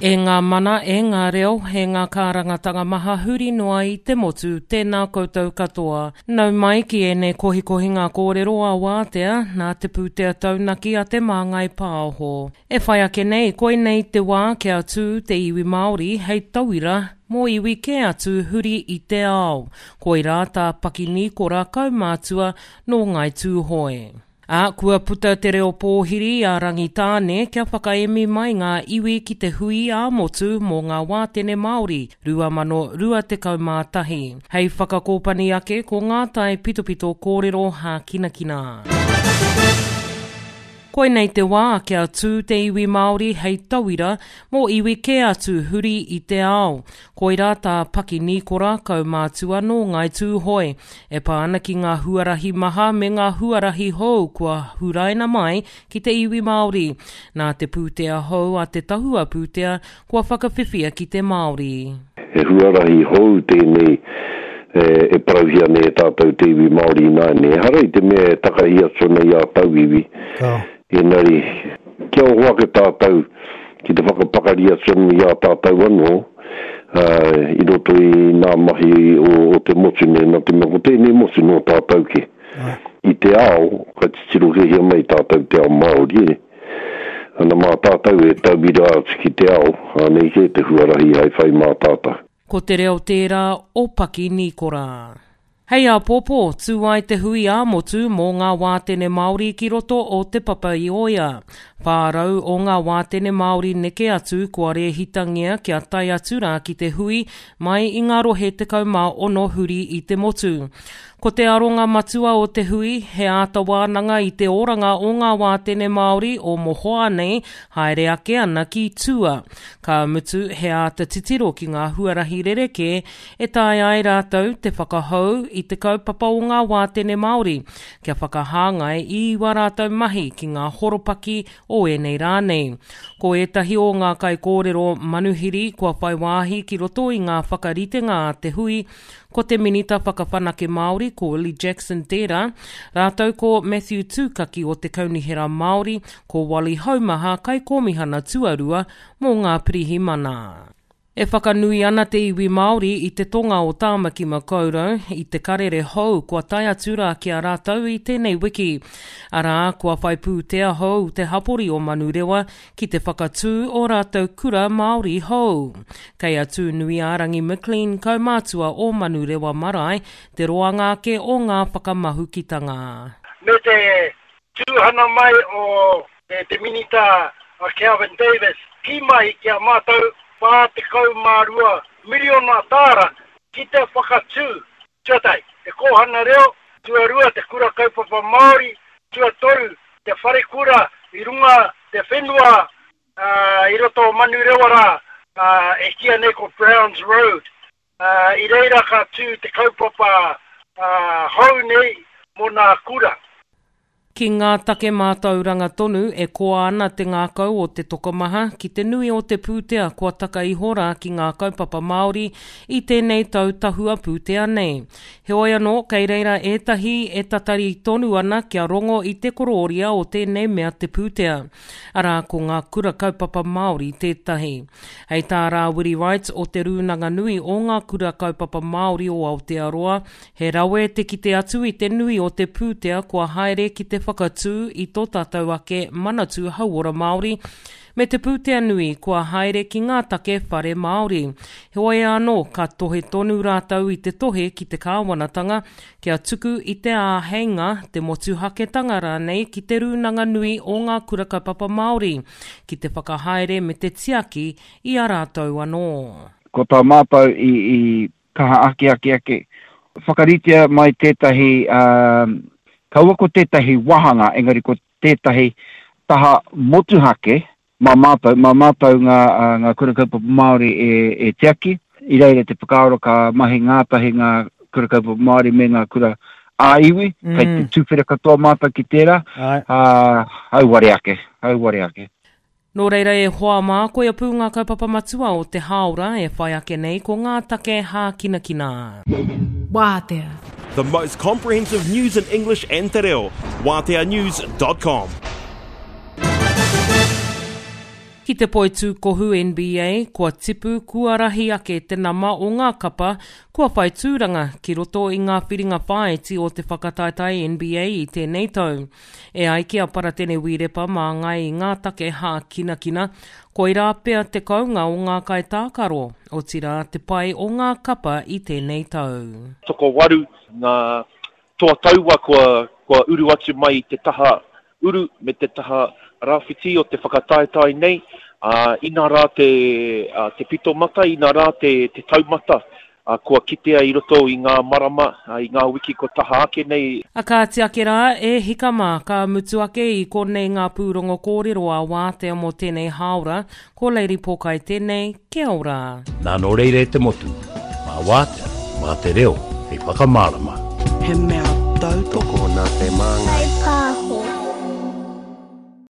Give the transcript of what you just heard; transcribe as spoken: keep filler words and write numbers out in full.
E ngā mana, e ngā reo, e ngā kārangatanga maha huri noa i te motu, tēnā koutou katoa. Nau mai ki ēnei kohikohinga kōrero a Wātea, nā te pūtea taunaki a Te Māngai Pāho. E whai ake nei, koinei te wā kia tū te iwi Māori hei tauira mō iwi kē atu huri i te ao. Koirā tā Paki Nīkora kaumātua nō Ngāi Tūhoe. Ā, kua puta te reo pōhiri a Rangitāne kia whakaemi mai ngā iwi ki te hui ā-motu mō ngā wātene Māori rua mano rua tekau mā tahi. Hei whakakōpani ake ko ngā tae pitopito kōrero hākinakina. Koinei te wā kia tū te iwi Māori hei tauira mō iwi kē atu huri i te ao. Koirā tā Paki Nīkora, kaumātua nō Ngāi Tūhoe, e pā ana ki ngā huarahi maha me ngā huarahi hou kua huraina mai ki te iwi Māori. Nā te pūtea hou a te tahua pūtea kua whakawhiwhia ki te Māori. He huarahi hou tēnei e parauhia nei e tātou te iwi Māori ināianei. Ehara i te mea e takahi atu ana i a tauiwi, engari kia oho ake tātou ki te whakapakari atu anō i a tātou anō i roto i ngā mahi o te motu nei, nā te mea ko tēnei motu nō tātou kē. I te ao, ka titiro kēhia mai tātou te ao Māori, e. Ana mā tātou e tauira atu ki te ao, anei kē te huarahi hai whai mā tātou. Ko te reo tērā o Paki Nīkora. Hei āpōpō, tū ai te hui ā-motu mō ngā wātene Māori ki roto o Te Papa-i-Oea. Whā rau o ngā wātene Māori neke atu kua rēhitangia kia tae atu rā ki te hui mai i ngā rohe tekau mā ono huri i te motu. Ko te aronga matua o te hui, he āta wānanga i te oranga o ngā wātene Māori o mohoa nei haere ake ana ki tua. Ka mutu, he āta titiro ki ngā huarahi rerekē e taea ai rātou te whakahou i te kaupapa o ngā wātene Māori, kia whakahāngai i wā rātou mahi ki ngā horopaki o ēnei rā nei. Ko ētahi o ngā kaikōrero manuhiri kua whai wāhi ki roto i ngā whakaritenga a te hui, ko te Minita Whakawhanake Māori, ko Willie Jackson tērā, rātou ko Matthew Tūkaki o te Kaunihera Māori, ko Wally Haumaha Kaikōmihana Tuarua mō ngā Pirihimana. E whakanui ana te iwi Māori i te tonga o Tāmaki Makaurau i te karere hou kua tae atu rā ki a rātou i tēnei wiki. Arā, kua whai pūtea hou te hapori o Manurewa ki te whakatū o rātou kura Māori hou. Kei a Tūnuiārangi McLean, kaumātua o Manurewa Marae, te roanga ake o ngā whakamahukitanga. Me te tūhana mai o te Minita a Kelvin Davis kī mai ki a mātou whā tekau mā rua miriona tāra ki te whakatū, tuatahi, te kōhanga reo, tuarua, te kura kaupapa Māori, tuatoru, te wharekura i runga te whenua i roto o Manurewa rā e kīia nei ko Browns Road. I reira ka tū te kaupapa hou nei mō nā kura. Ki ngā take mātauranga tonu e koa ana te ngākau o te tokomaha ki te nui o te pūtea kua taka iho rā ki ngā kaupapa Māori i tēnei tau tahua pūtea nei. Heoi anō, kei reira ētahi e tatari tonu ana kia rongo i te korōria o tēnei mea te pūtea. Arā, ko ngā kura kaupapa Māori tētahi. Hei tā Rāwiri Wright o Te Rūnanga Nui o Ngā Kura Kaupapa Māori o Aotearoa, he rawe te kite atu i te nui o te pūtea kua haere ki te whakatū i tō tātou ake Manatū Hauora Māori, me te pūtea nui kua haere ki ngā take whare Māori. Heoi anō, ka tohe tonu rātou i te tohe ki te kāwanatanga kia tuku i te āheinga, te motuhaketanga rānei ki Te Rūnanga Nui o Ngā Kura Kaupapa Māori ki te whakahaere me te tiaki i a rātou anō. Ko tā mātou i i kaha ake ake ake, whakaritea mai tētahi, kaua ko tētahi wāhanga, engari ko tētahi taha motuhake mā mātou, mā mātou ngā, ngā kura kaupapa Māori e, e tiaki. I reira te whakaaro ka mahi ngātahi ngā kura kaupapa Māori me ngā kura ā-iwi, mm. kei te tuwhera katoa mātou ki tērā, ā, auare ake, auare ake. Nō reira e hoa mā, koia pū ngā kaupapa matua o te hāora e whai ake nei ko ngā take hākinakina. Wātea. The most comprehensive news in English and te reo. Wātea news dot com. Ki Ki te poitūkohu N B A, kua tipu, kua rahi ake te nama o ngā kapa kua whai tūranga ki roto i ngā whiringa whāiti o te whakataetae N B A i tēnei tau. E ai ki a Paratene Wīrepa māngai i ngā take hākinakina, koirā pea te kounga o ngā kaitākaro, otirā te pai o ngā kapa i tēnei tau. Tokowaru ngā toa taua kua, kua uru atu mai i te taha uru me te taha rāwhiti o te whakataetae nei, uh, ina rā te, uh, te pito mata, ina rā te, te taumata, uh, kua kitea i roto i ngā marama, uh, i ngā wiki ko taha ake nei. A kāti ake rā, e hika mā, ka mutu ake i konei ngā pūrongo kōrero a Wātea mō tēnei hāora, ko Lady Pōkai tēnei, kia ora. Nā nō reira e te motu, mā Wātea, mā te reo, hei whakamārama. He mea tautoko nā te Māngai.